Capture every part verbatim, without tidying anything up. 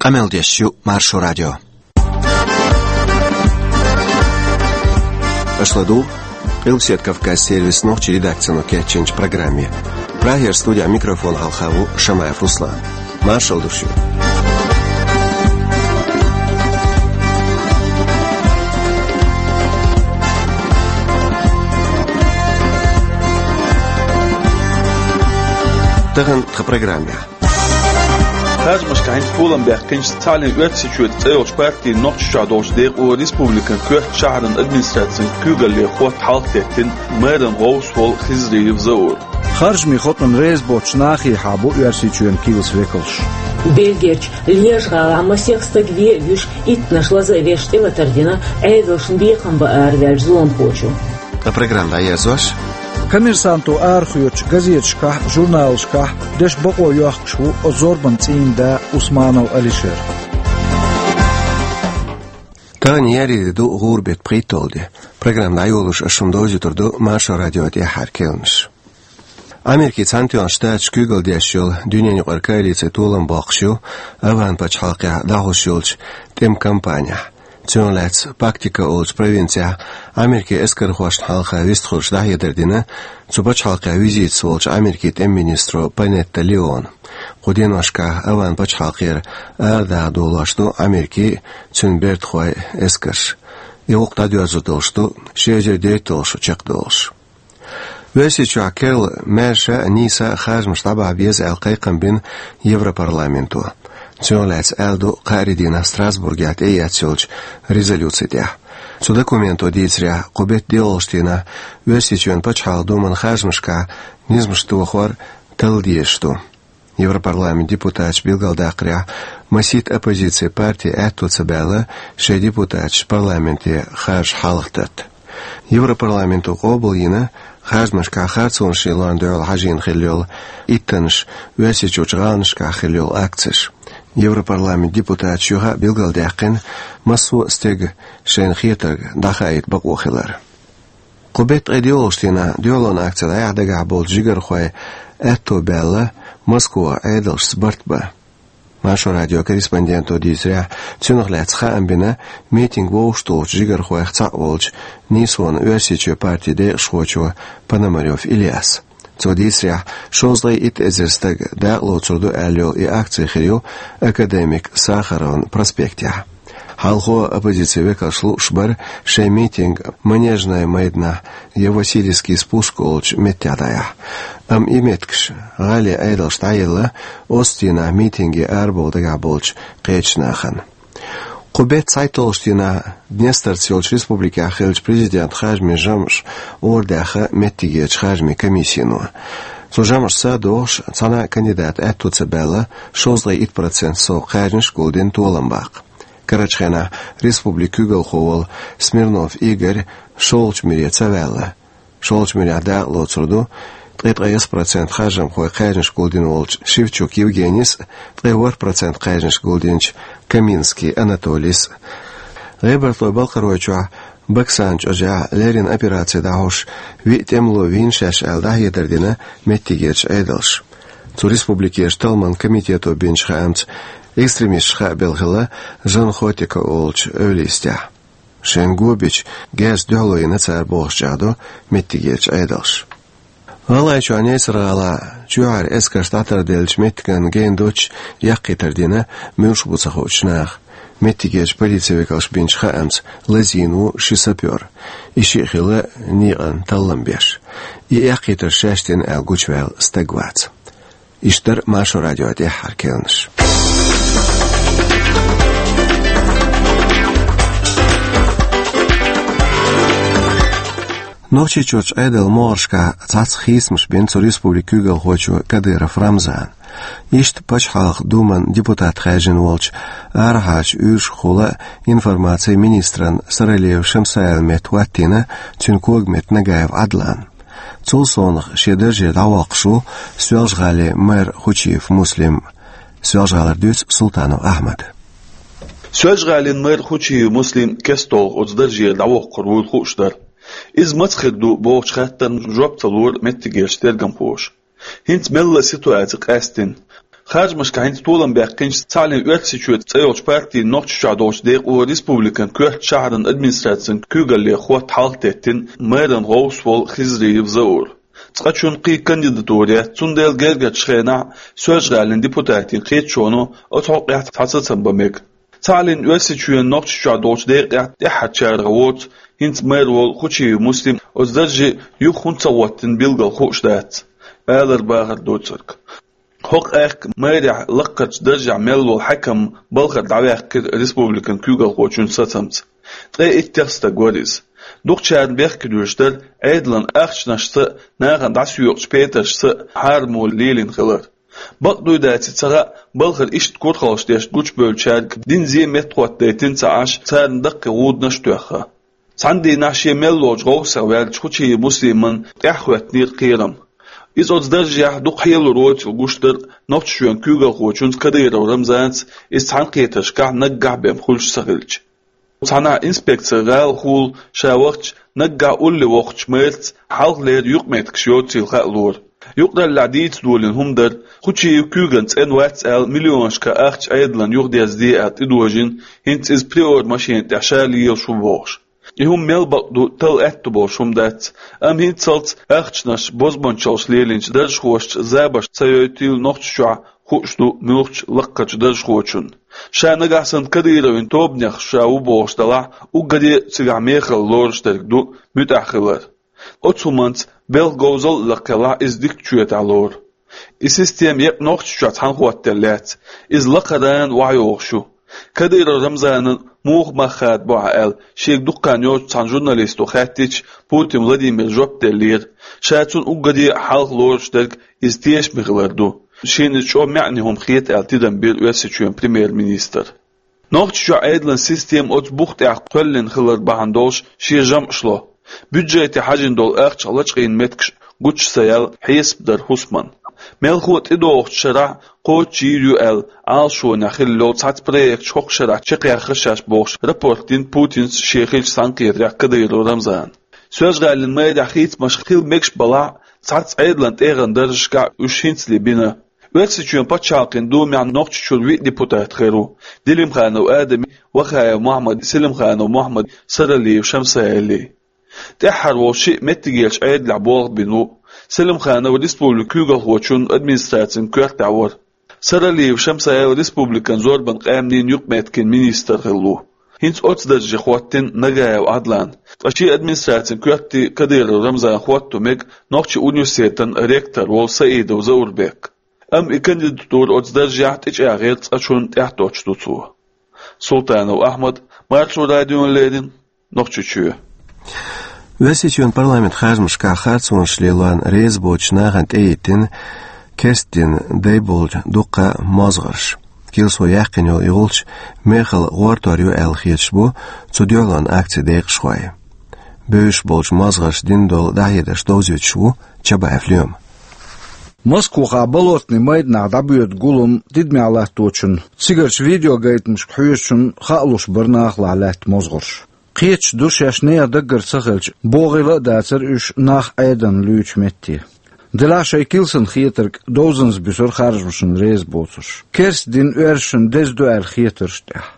Къамел деш ю Маршо радио. Аша ладугӀу Къилбаседа Кавказан сервисан нохчийн редакцино кечйинчу программе. Прагера студехь микрофон хьалха ву Шамаев Руслан. Маршалла ду шуьга. Тахана тхан программехь. Харжамашкахь хӀинца толам баьккхинчу «Цхьаьна Оьрсийчоь» цӀе йолчу партин Нохчийчохь долчу декъо республикан коьртачу шахьаран администрацин куьйгалле хотта хьалхатеттина мэран гӀовс волу Хизриев Заур. Харжамийн хотӀанна реза боцчу нахехьа бу Оьрсийчоьнан килсан векалш. Бельгерчу Льеж-гӀалахь масех стаг вен а вуьйш, иттаннаш лаза а веш, тӀелатар дина, Ӏедалшна бекхам бан араваьллачу зуламхочо. Ткъа программа дӀаерзош. «Коммерсанто» арахоьцучу газеташкахь а, журналашкахь а деш бакъо йохкуш ву оцу зорбанан цӀийнан да Усманов Алишер. Тахана еарин де ду, гӀуран беттан пхийтталгӀа де. Программа дӀайолош ас шуна довзуьйтур ду Маршо радион тӀаьххьара керланаш. Америкин Цхьаьнатоьхначу Штаташ куьйгалла деш йолу дуьненаюкъара коалици толам боккхуш ю АвгӀан пачхьалкхехь дӀахьош йолчу тӀеман кампанехь. Цунах лаьцна Пактика олучу провинцехь Америкин эскархошна хьалха вистхуьлуш дӀахьедар дина цу пачхьалкхехь визитехь волчу Америкин тӀеман министро Панетта Леона. Кху деношкахь АвгӀан пачхьалкхера арадаха долош ду Америкин а, цуьнан бертахойн а эскарш. И гӀуллакх дӀадоьрзур долуш ду ши эзар дейтталгӀа шо чекхдолуш. Оьрсийчохь керла маьрша а, нийса а харжамаш дӀабахьа беза аьлла кхайкхам бина Европарламенто. Цунах лаьцна аьлла ду кхаарин дийнахь Страсбургехь тӀеэцна йолчу резолюци тӀехь. Цу документо дийцарехь, кху беттан доьалгӀачу дийнахь Оьрсийчоьнан Пачхьалкхан Думан харжамашкахь низамаш тохор талла дезаш ду. Европарламентан депутаташа билгалдаккхарехь, масийтта оппозицин парти аьтто ца баьлла шайн депутаташ парламенте харжаш хьалхататта. Европарламенто къобалйина харжамашкахь харцонаш лардан дуьхьал хьажийна хилла йолу иттаннаш, Оьрсийчуьрчу гӀаланашкахь хилла йолу акцеш. Европарламентан депутаташа юха а билгалдаьккхина, массо а стеган шайна хетарг дӀахаийта бакъо хилар. Кху беттан ткъе доьалгӀачу дийнахь дуьхьалонан акци дӀаяхьа дагахь болчу жигархойн аьтто баьлла Москвахь Ӏедалшца барт бан. Маршо радион корреспонденто дийцарехь, цунах лаьцна хаам бина митинг вовшахтухучу жигархойх цхьаъ волчу «Нийсонан Оьрсийчоь» партин декъашхочо Пономарёв Ильяса. Цо дийцарехь, шовзткъе итт эзар стаг дакъалоцур ду аьлла йолу и акци хир ю Академик Сахаровн проспектехь. Хьалхо оппозицин векалш лууш бара шайн митинг Манежный майданахь я Васильевский спуск олучу меттехь дӀаяхьа. Амма и меттигаш гӀалин Ӏедалша дӀаелла оццу дийнахь митинге арабовла дагахь болчу кхечу нахана. Кху беттан цхьайтталгӀачу дийнахь Днестарца йолчу республикехь хиллачу президентан харжамийн жамӀаш арадаьхна меттигерчу харжамийн комиссино. Цу жамӀашца а догӀуш, цхьана а кандидата аьтто ца баьлла, шовзткъе итт процент сов кхаьжнаш а гулдина толам баккха. Карарчу хенахь республикан куьйгалхо волу Смирнов Игорь шолгӀачу муьре ца ваьлла. ШолгӀачу муьрехь дакъалоцур ду ткъе ткъайесна процент харжамхойн кхаьжнаш гулдина волчу Шевчук Евгенис а, ткъе ворхӀ процент кхаьжнаш гулдинчу Каминский Анатолис а. ГӀебартойн-Балкхаройчохь Баксан чӀожехь леррина операци дӀахьош, виъ тӀемало вийна шаьш аьлла, дӀахьедар дина меттигерчу Ӏедалша. Цу республикерчу талламан комитето бинчу хаамца, экстремисташ хаа белла хилла Жан Хотико олучу эвлайистехь. Шайна го бича герзаца дуьхьало йина цара бохуш чӀагӀдо меттигерчу Ӏедалша. ГӀалгӀайчохь Несар-гӀалахь чоьхьара эскарш дӀатарделлачу меттиган гена доццуш яккхийтар дина муьлш бу ца хуучу наха. Меттигерчу полицин векалша бинчу хаамца, лазийна ву ши сапёр. И шиъ хилла некъан таллам беш. И яккхийтарш шаьш дина аьлла гучуваьлла стаг вац. Иштта дара Маршо радион тӀаьххьара керланаш. Нохчийчуьрчу Ӏедалан могӀаршкахь цхьацца хийцамаш бина цу республикан куьйгалхочо Кадыров Рамзана. Иштта Пачхьалкхан Думан депутат хаьржина волчу арахьарчу уьйрашхула информацин министран Саралиев Шамсаевн метта хӀоттийна цуьнан когаметта Нагаев Ӏадлан. Цул совнаха шен даржера дӀавоккхуш ву Соьлжа-ГӀалин мэр Хучиев Муслим. Соьлжа-ГӀалара дуьйцу Султанов Ахьмада. Соьлжа-ГӀалин мэр Хучиев Муслим кестта оцу даржера дӀавоккхур вуйла хууш дара. Иза маца хир ду бохучу хаттарна жоп ца лора меттигерчу тергамхоша. ХӀинца мелла а ситуаци къаьстина. Харжамашкахь хӀинца толам баьккхинчу «Цхьааллин Оьрсийчоь» цӀе йолчу партин Нохчийчохь долчу декъо республикан коьртачу шахьаран администрацин куьйгалле хӀотта хьалха теттина мэран гӀовс волу Хизриев Заур. Цкъачунна кхин кандидатура яц, цундела гергарчу хенахь Соьлжа-ГӀалин депутатийн кхеташоно оцу хьокъехь цхьа сацам бан мега. «Цхьааллин Оьрсийчоьн» Нохчийчохь долчу декъехь тӀаьххьарчарах воцу, хӀинца мэр волу Хучиев Муслим оцу дарже юха хӀунда ца хӀоттийна билггал хууш дац, алар бахар доцург. ХӀокху аьхка мэрехь лаккхарчу даржехь мел волу хьаькам балхара дӀаваьккхира республикан куьйгалхочун сацамца. Ткъе иттех стаг вара иза. Дукхачарна бехке дуьйш дара Ӏедалан ахчанашца а, нахана дӀасоькъучу петаршца а хьарам лелийна хилар. Бакъ дуй, даций ца хаьа, балхара иштта курхалш деш гучубевллачаьрга дина зен меттахӀоттадайтина ца Ӏаш, царна даккхий гӀуданаш а тоьхна. Цхьана дийнахь шен мел волчу гӀовсах ваьллачу Хучиев Муслиман тӀаьхьахӀоьттинера кхерам. Иза оцу даржехь дукха хьелур воцург гуш дара Нохчийчоьнан куьйгалхочунца Кадыров Рамзанца, иза цхьаьнакхетаршкахь наггахь бен хуьлуш ца хилча. Цхьана инспекци гӀалахула ша вахча, наггахь улле воккхучу мэрца хьалхалера юкъаметтигаш йоцийла хаалора. Юкъараллехь дийца долийна хӀума дара, Хучиев куьйган цӀена вац аьлла, миллионашкахь ахча Ӏедална юхадерзаде аьлла тӀедожийна, хӀинца иза приор машена тӀехь ша лелаш ву бохуш. И хӀума мел бакъ ду, талла аьтто болуш хӀума дац, амма хӀинццалц ахчанаш бозбуунчаллаш лелийначу даржхошца забарш ца йойтийла Нохчийчохь, хууш ду муьлххачу лаккхарчу даржхочунна. Ша нагахь санна Кадыровн тобанех ша ву бохуш делахь, уггаре а цигахь мехала лоруш дерг ду муьтӀахь хилар. Оцу хӀуманца белхан говзалла а лакхелахь, иза дикачу чоьтахь лору. И система еккъа Нохчийчохь цхьаьнакхетта лаьцна, иза лакхарна охьайогӀуш ю. Кадыров Рамзанан муха мах хадабо ахь аьлла, шега дукха хан йоццуш цхьана журналисто хаьттича, Путин Владимира жоп деллера, ша цунна уггаре а хьалха лоруш дерг иза тешаме хилар ду, шена иза чӀогӀа маьӀне хӀума хета аьлла тидам бира Оьрсийчоьнан премьер-министра. Нохчийчохь Ӏедалан система оцу бух тӀехь кхоьллина хилар бахьана долуш шен жамӀаш ло. Бюджете хьажийна долу ахчах лачкъийна меттигаш гучу ца яьлла хьесап дара хӀусаман. Мелхо а тӀедогӀучу шарахь кхочушйийр ю аьлла, Ӏалашонехь хилла йолу цхьацца проекташ хӀокху шарахь чекхъяххара шаьш бохуш, рапорт дина Путинца шен хиллачу цхьаьнакхетарехь Кадыров Рамзана. Соьлжа-ГӀалин мэрехь хийцамаш хила мегаш балахь а, цхьацца Ӏедалан тӀегӀан даржашкахь уьш хӀинцале бина. Оьрсийчоьнан пачхьалкхан думехь Нохчийчуьра виъ депутат хир ву: Делимханов Адами, Вахаев Мохьмади, Селимханов Мохьмади, Саралиев Шамсаили. ТӀаьххьара волу шиъ меттигерчу Ӏедалехь болх бина ву. Селимханов республикан куьйгалхочун администрацин коьртехь вара. Саралиев Шамсаил республикан зорбанан къаьмнийн юкъаметтиган министр хилла ву. ХӀинца оцу дарже хӀоттийна Нагаев Ӏадлан, ткъа шен администрацин коьрте Кадыров Рамзан хӀотто мега Нохчийн университетан ректор волу Саидов Заурбек. Амма и кандидатура оцу даржехь тӀечӀагӀъяр цкъачунна тӀаьхьатоттуш ду цо. Султанов Ахьмад, Маршо радиона леррина, Нохчийчоь. Оьрсийчоьнан парламентан харжамашкахь харцонаш лелорна реза боцучу нахана тӀеиттина керста дин дай болчу дуккха а мозгӀарш. Килсо яьккхина йолу и гӀулч мехала гӀортор ю аьлла хеташ бу цу дуьхьалонан акцин декъашхой. Бевзаш болчу мозгӀарша дина долу дӀахьедарш довзуьйтуш ву Чабаев Лема. Москвахь Болотни майданахь дӀабоьду гулам тидамехь латточунна, цигарчу видеогайтамашка хьоьжучунна хаалуш бара нахалахь лаьтта мозгӀарш. Кхеташ ду шаьш нехан даггара ца хилча, богӀийла а дацара уьш нах Ӏедална луьйчу метте. Делахь шайн килсана хетарг довзанза буьсура харжамашна реза боцурш, керста дин оьрсашна деза ду аьлла хетарш тӀехь.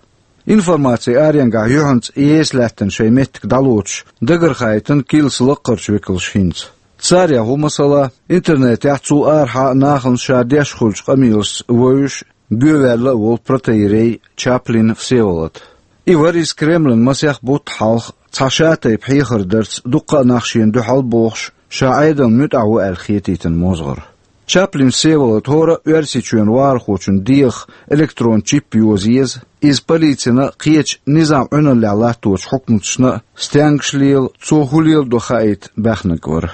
Информацин аренгахь юьхьанца еса лаьттина шайн меттиг дӀалоцуш дагархаийтина килсан лаккхарчу векалша хӀинца. Царех ву, масала, интернетехь цул арахьа а нахана ша деш хуьлучу къамелашца вевзаш, гоьваьлла а волу протоиерей Чаплин Всеволод. И вара иза Кремлан масех бутт хьалха цхьа шатайпа хьехар дарца дуккха а нах шена дуьхьал бохуш, ша Ӏедална муьтӀахь ву аьлла хетийтина мозгӀар. Чаплин Всеволод хӀора а Оьрсийчоьнан вахархочун дегӀах электрон чип йоза еза, иза полицина а, кхечу низам Ӏуьналлехь латточу хьукматашна а стенгаш лела, цо хӀун леладо хаийта баьхнарг вара.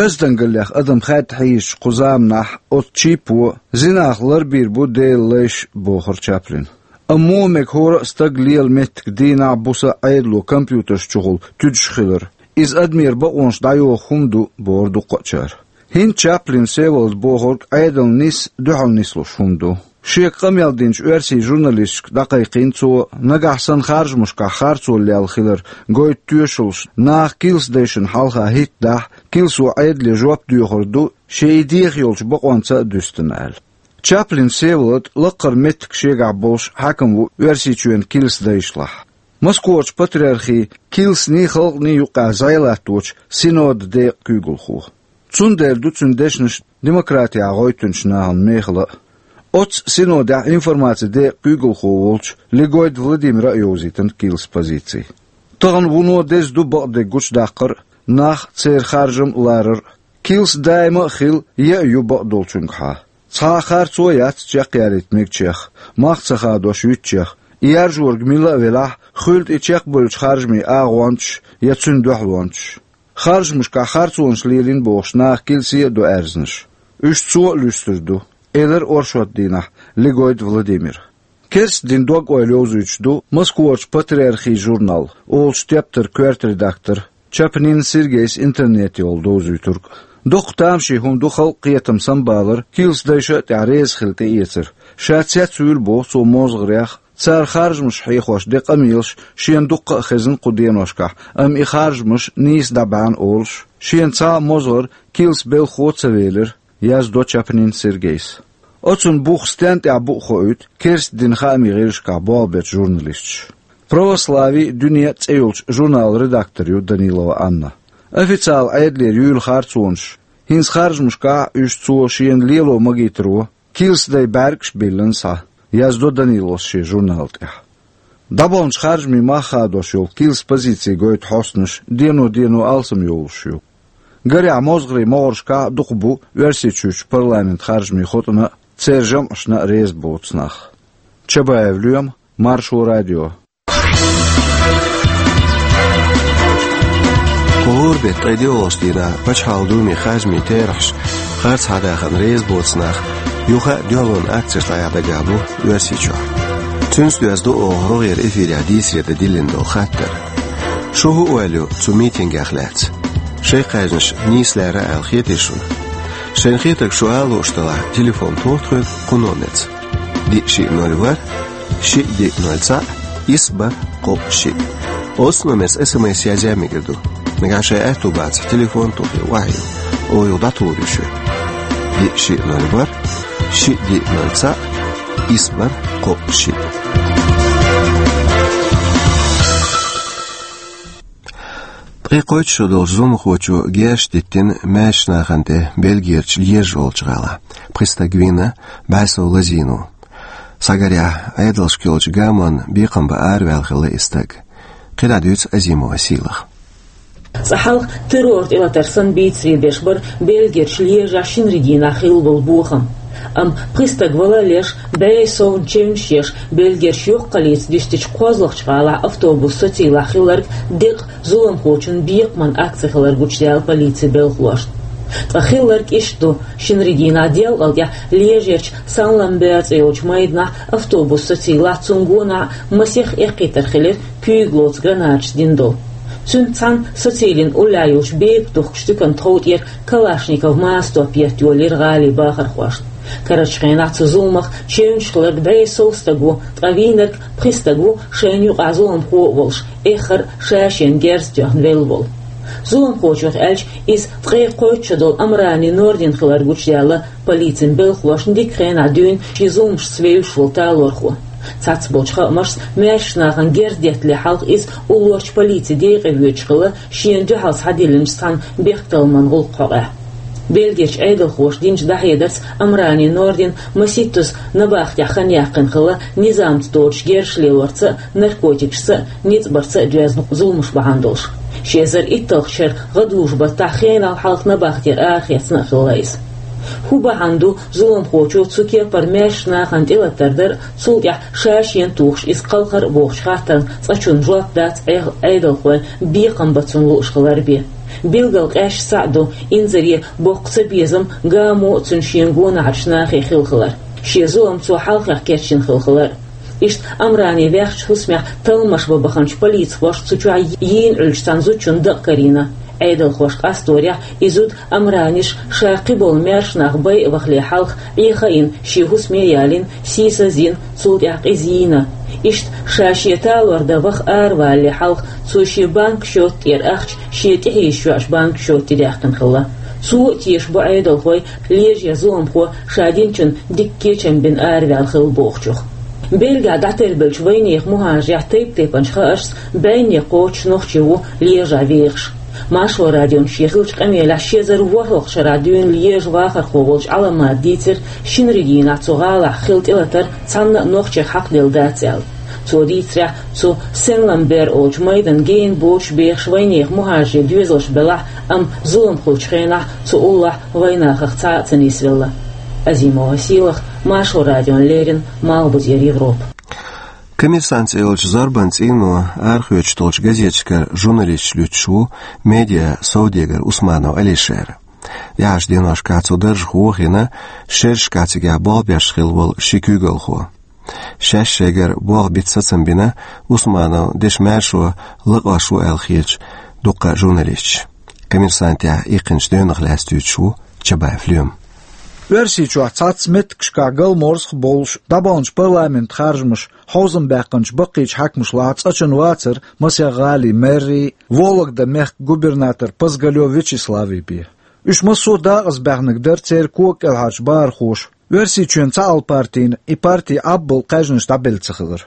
Оьздангаллех адам хаьдда хьийзачу кху заманахь оцу чипо зинах ларбийр бу Делан лайш, бохура Чаплина. Амма муха мега хӀора а стаг лела меттиг дийнахь а, буса а Ӏедало компьютерш чухула туьдуш хилар? Иза адамера бакъонаш дӀайоху хӀума ду, бохура дуккха а чара. ХӀинца Чаплин Всеволода бохург Ӏедална нисса, дуьхьал нислуш хӀума ду. Шега къамел динчу оьрсийн журналисташка дӀакхайкхийна цо, нагахь санна харжамашкахь харцо лелла хилар гойту тоьшаллаш нах килсадайшна хьалха хӀиттадахь, килсо Ӏедале жоп доьхур ду, шен и деха йолчу бакъонца а дуьстина аьлла. Чаплин Всеволод лакхара меттиг шегахь болуш хьаькам ву Оьрсийчоьнан килсадайшлахь. Москварчу патриархийн килсанийн халкъанийн юкъахь зӀе латточу синодан декъан куьйгалхо. Цундела ду цуьнан дешнаш демократехь гӀоьттинчу нахана мехала а. Оццу синодехь информацин декъан куьйгалхо волчу Легойда Владимира а йовзийтина килсан позици. Тахана вуно деза ду бакъдерг гучудаккхар а, нах церан харжам а ларар а. Килс даима а хилла, яа ю бакъдолчуьнгахьа. Цхьа а харцо а яц чекхъялийта мегачех, мах ца хадош юьтучех, и яржориг мила а велахь, хуьлда и чекхбевллачу харжамийн агӀончаш я цуьнан дуьхьалончаш. Харжамашкахь харцонаш лелийна бохуш наха килсе а ду аьрзнаш. Уьш цо а луьстур ду, элира оршот дийнахь Легойда Владимира. Керста динан дог-ойла йовзуьйтуш ду Москварчу патриархийн журнал олучу тептаран коьрта редактор Чапнин Сергейс интернете йолу довзуьйтург. Доккха тамашийна хӀума ду халкъан кхетам самабалар килсадайша а тӀехь реза хила тӀеэцар. Ша цецвуьйлу боху цо мозгӀарех, цара харжамаш хьехош ден къамелаш шена дуккха а хезна кху деношкахь, амма и харжамаш нийса дӀа баьхьна олуш, шена цхьа а мозгӀар килсан белхахо а ца велира, яздо Чапнин Сергейс. Оцунна бух стенна тӀехь бу а хоуьйту керста динан хаамийн гӀирсашкахь болх бечу журналисташа. «Православие» а, «Дуьне» а цӀе йолчу журналан редактор ю Данилова Анна. Официалан Ӏедалера юьйлу харцонаш, хӀинца харжамашкахь а уьш цо шена лело магийтаро, килсадай бӀаьргаш а биллина схьа, яздо Даниловс шен журнала тӀехь. ДӀабаханчу харжамийн мах хадош йолу килсан позици гойту хьостанаш дено-дено алсам йолуш ю. Гарехь, мозгӀарийн могӀаршкахь а дукха бу Оьрсийчуьрчу парламентан харжамийн хотӀана а, церан жамӀашна а реза боцу нах. Чабаев Лоьма, Маршо радио. Кху хӀора беттан ткъе доьалгӀачу дийнахь Пачхьалкхан Думин харжамийн терахьаш харц хьадахарна реза боцу нах юха а дуьхьалонан акцеш дӀаяхьа дагахь бу Оьрсийчохь. Цуьнца доьзна ду оха рогӀера эфирехь дийцаре дан диллина долу хаттар. Шу хӀун ойла ю цу митингех лаьцна? Шайн кхаьжнаш нийса лаьрра аьлла хетий шуна? Шайна хетарг шу ала лууш делахь, телефон тоха тхоьга кху номерца: диъ шиъ ноль ворхӀ, шиъ диъ ноль цхьаъ, исс бархӀ кхоъ шиъ. Оцу номерца СМС язъян мегар ду. Нагахь шайн аьтту бацахь, телефон а тухий, охьайо, оха юха дӀатухур ю шуьга. Диъ шиъ ноль ворхӀ, шиъ диъ ноль цхьаъ, исс бархӀ кхоъ шиъ. Ткъе кхойтта шо долчу зуламхочо герзаш диттина маьршачу нахана тӀе Бельгерчу Льеж олучу гӀалахь. Пхи стаг вийна, бӀе сов лазийна ву. Схьагарехь, Ӏедалшка йолчу гамонан бекхам бан араваьлла хилла и стаг. КхидӀа дуьйцу Азимова Сийлаха. Цкъа хьалха террор тӀелатар санна бийцаре беш бара Бельгерчу Льежехь шинарин дийнахь хилла болу бохам. Амма пхи стаг вала а леш, бӀе совна чевнаш еш, Бельгерчу йоккхаллица дуьстичу кхозлагӀчу гӀалахь автобус социйлахь хилларг декъа зуламхочун бекхаман акци хилар гучудаьлла полицин белхалошна. Ткъа хилларг иштта ду: шинарин дийнахь делкъал тӀехь Льежерчу Сан-Ламбер цӀе йолчу майданахь автобус социйлахь, цунна гонахь масех эккхийтар хилира куьйгаллица гранаташ дина долу. Цуьнца цхьаьна социйлин уллехь йолчу бепиг духкучу туьканан тхов тӀера Калашников мастоп етта йолийра гӀалин бахархошна. Карарчу хенахь цу зуламах чевнаш хилларг бӀе сов стаг ву, ткъа вийнарг пхи стаг ву, шайна юкъахь зуламхо а волуш, эххар а ша-шена герз тоьхна велла волу. Зуламхочух аьлча, иза ткъе кхойтта шо долу Амрани Нордин хилар гучудаьлла полицин белхалошна дика хенахь дуьйна шен зуламашца вевзаш волу талорхо. Цхьацца болчу хаамашца, маьршачу нахана герз деттале хьалха иза уллорчу полицин декъе воьдуш хилла, шена дуьхьал схьадиллинчу цхьана бехктакхаман гӀуллакх хьокъехь. Бельгерчу Ӏедалхоша динчу дӀахьедарца, Амрани Нордин масийттазза набахтехь хан яьккхина хилла, низамца доцуш герзаш лелорца а, наркотикашца а, ницкъ барца а доьзна зуламаш бахьана долуш. Ши эзар итталгӀачу шеран гӀадужу баттахь хенал хьалха набахтера арахецна а хилла иза. ХӀун бахьана ду зуламхочо цу кепара маьршачу нахана тӀелатар дар а, цул тӀаьхьа ша-шена тухуш иза кхалхар а бохучу хаттарна цкъачунна жоп дац Ӏе-, Ӏедалхойн бекхам бан цунна лууш хилар бен. Билггал къаьсташ цхьаъ ду инзаре боккха цабезам гамо а, цуьнан шен гонахарчу нахе хилла хилар, шен зулам цо хьалхех кечйина хилла хилар. Иштта Амрани ваьхначу хӀусамехь талламаш бан баханчу полицхоша цу чохь йийна Ӏуьллучу цхьана зудчунна дакъа карийна. Ӏедалхоша къасторехь, и зуда Амраниш ша кхиболу маьршачу нах байа вахале хьалха Ӏеха а йина, шен хӀусаме а ялийна, сийсаз а йина, цул тӀаьхьа къиза йийна. Иштта ша шен талор дан ваха аравалале хьалха цо шен банк счёт тӀера ахча шен тӀехьийзаш йоӀчу банк счёте даьккхина хилла. Цо а тешаш бу Ӏедалхой, лежа я зуламхо ша динчун дикка кечам бина араваьнна хилла бохучух. Бельгехь дӀатербеллачу вайнехан мухӀажарех тайп-тайпанчу хаамашца, бӀаьнне кхоччуш нохчий ву лежа вехаш. Маршо радион шен хиллачу къамелехь ши эзар ворхӀалгӀачу шарахь дуьйна лежа вахархо волчу Ӏаламата дийцира, шинарин дийнахь цу гӀалахь хилла тӀелатар цхьанна а нохчех хьакхаделла дац аьлла. Цо дийцарехь, цу Сен-Ламбер олучу майданна гена боцуш бехаш вайнехан мухӀажарийн доьзалш белахь, амма зулам хиллачу хенахь цу уллохь вайнахах цхьа а ца нисвелла. Азимова Сийлаха, Маршо радиона леррина, Малхбузера Европа. «Коммерсант» цӀе йолчу зорбанан цӀийно арахоьцуш долчу газеташкара журналисташ луьттуш ву медиа совдегар Усманов Алишер. ТӀаьхьарчу деношкахь цу даржах вохийна, шерашкахь цигахь болх беш хилла волу ши куьйгалхо. Шаьш шайгара болх бита сацам бина Усманов дешан маьршо лакхош ву аьлла хеташ дуккха а журналисташ. «Коммерсантехь» иккхинчу девнах лаьцна дуьйцуш ву Чабаев Лема. Оьрсийчохь цхьацца меттигашкахь галморзах а болуш, дӀабаханчу парламентан харжамаша хьовзам баьккхинчу баккхийчу хьаькамашлахь цкъачунна вацара масех гӀалин мэррий, Вологда-мехкан губернатор Пазгалев Вячеславий бен. Уьш массо а дакъазбаьхнарг дара церан кога кӀелхьарчу бахархоша, Оьрсийчоьнан цхьаалла партина и парти Ӏаббал кхаьжнаш дӀабелла ца хилар.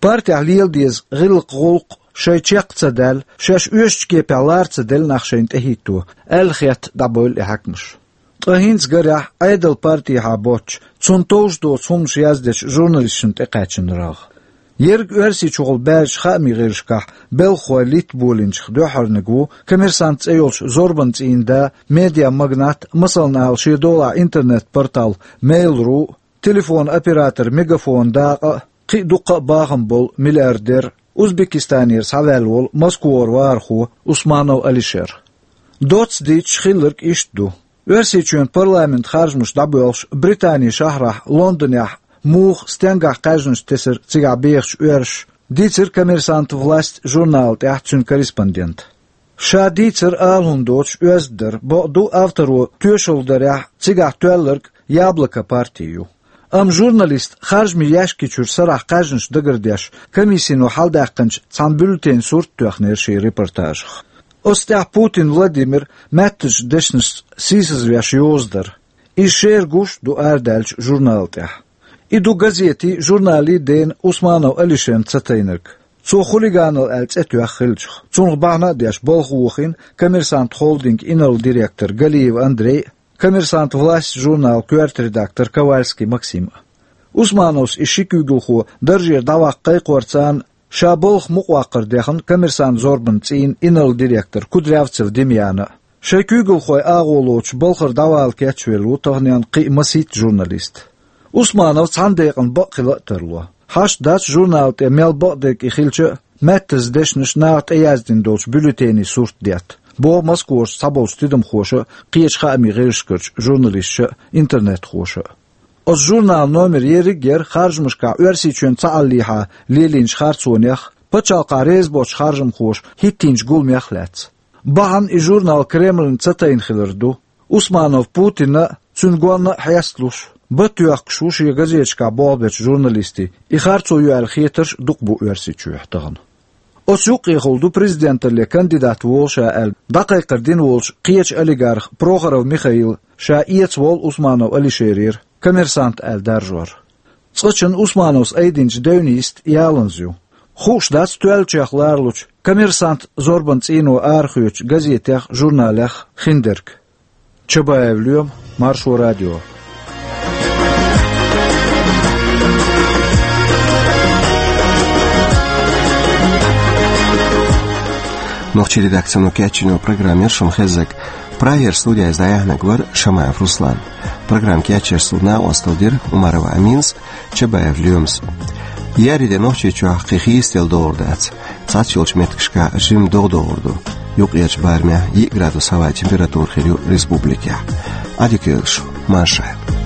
Партехь лела деза гӀиллакх-гӀуллакх шайн чекх ца даьлла, шаьш оьшучу кепехь лара ца делла нах шайна тӀехӀитто, аьлла хетта дӀабевлла и хьаькамаш. Ткъа хӀинца гарехь Ӏедалан партехьа боцчу, цунна товш доцу хӀуманаш яздечу журналисташна тӀекхаьчна рагӀ. Ерриг Оьрсийчухула баьржачу хаамийн гӀирсашкахь белхахой литта болийначех дуьххьарниг ву «Коммерсант» цӀе йолчу зорбанан цӀийнан да, медиамагнат, масална ала, шен долахь интернет-портал Mail.ru, телефонан оператор «Мегафон» дакъа а, кхин а дуккха а бахам болу миллиардер, Узбекистанера схьаваьлла волу Москвара вахархо Усманов Алишер. Доцца дийцча, хилларг иштта ду. Оьрсийчоьнан парламентан харжамаш дӀабоьлхуш, Британин шахьарахь Лондонехь муха, стенгахь кхаьжнаш тесира цигахь бехачу оьрсаша, дийцира «Коммерсант. Власть» журнала тӀехь цуьнан корреспондента. Ша дийцар ала хӀума доцуш оьзда дара, бакъду, авторо тоьшалла дарехь, цигахь тоьлларг «Яблоко» парти ю. Амма журналиста харжамийн яьшки чуьра сарахь кхаьжнаш дагардеш, комиссино хьаладаьккхинчу цхьана бюллетенан сурт тоьхнера шен репортажах. Оцу тӀехь Путин Владимир маьттазчу дешнашца сийсазвеш йоза дара. Иза шера гуш а ду арадаьллачу журнала тӀехь. И ду газетийн, журналийн дена Усманов Алишерна ца тайнарг. Цо хулиганал аьлла цӀе тоьхна хилча. Цунах бахьана а деш, балха вохийна «Коммерсант» холдинган инарла директор Галиев Андрей а, «Коммерсант. Власть» журналан коьрта редактор Ковальский Максим а. Усмановс и ши куьйгалхо даржера дӀаваккха кхайкхорца, ша балха мукъаваккхар дехна «Коммерсант» зорбанан цӀийнан инарла директор Кудрявцев Демьяна а. Шайн куьйгалхой агӀо лоцуш балхара дӀавала кечвелла ву таханенна кхин а масийтта журналист. Усманов цхьана декъана бакъ хила а тарло. Хьашт дац журнала тӀе мел бакъдерг и хилча а, маьттаза дешнаш наха тӀеяздина долчу бюллетенийн сурт детта, боху Москварчу цхьаболчу тидамхоша а, кхечу хаамийн гӀирсашкарчу журналисташа а, интернетхоша а. Оцу журналан номер ерриг а яра харжамашкахь Оьрсийчоьнан цхьааллехьа лелийначу харцонех, пачхьалкхахь реза боцчу харжамхоша хӀиттийначу гуламех а лаьцна. Бахьана и журнал Кремльна ца тайна хилар ду. Усманов Путинна а, цуьнан гонна а хьесталуш, бата йоьхкуш ву шен газеташкахь болх бечу журналистийн, и харцо ю аьлла хетарш а дукха бу Оьрсийчохь тахана. Оцу юккъехула ду президенталле кандидат волу ша аьлла дӀакхайкхар дина волчу кхечу олигарха Прохоров Михаила ша эца волу Усманов Алишерера «Коммерсант» аьлла даржор. Цкъачунна Усмановс айдинчу девнийн йист яланза ю. Хууш дац тоьллачех ларалучу «Коммерсант» зорбанан цӀийно арахоьцучу газетех, журналех хиндерг. Чабаев Лоьма, Маршо радио. Нохчийн редакцино кечйина программа яра шуна хезнарг. Прагера студехь иза дӀаяьхьнарг вара Шамаев Руслан. Программа кечъеш суна накъосталла дира Умарова Аминас, Чабаев Лоьмас. Еарин де Нохчийчохь кхин хийцаделла догӀур дац. Цхьацца йолчу меттигашкахь жимма догӀа догӀур ду. Юккъерчу барамехь йиъ градус хӀаваан температура хир ю республикехь. Ӏадика йойла шун, марша Ӏойла.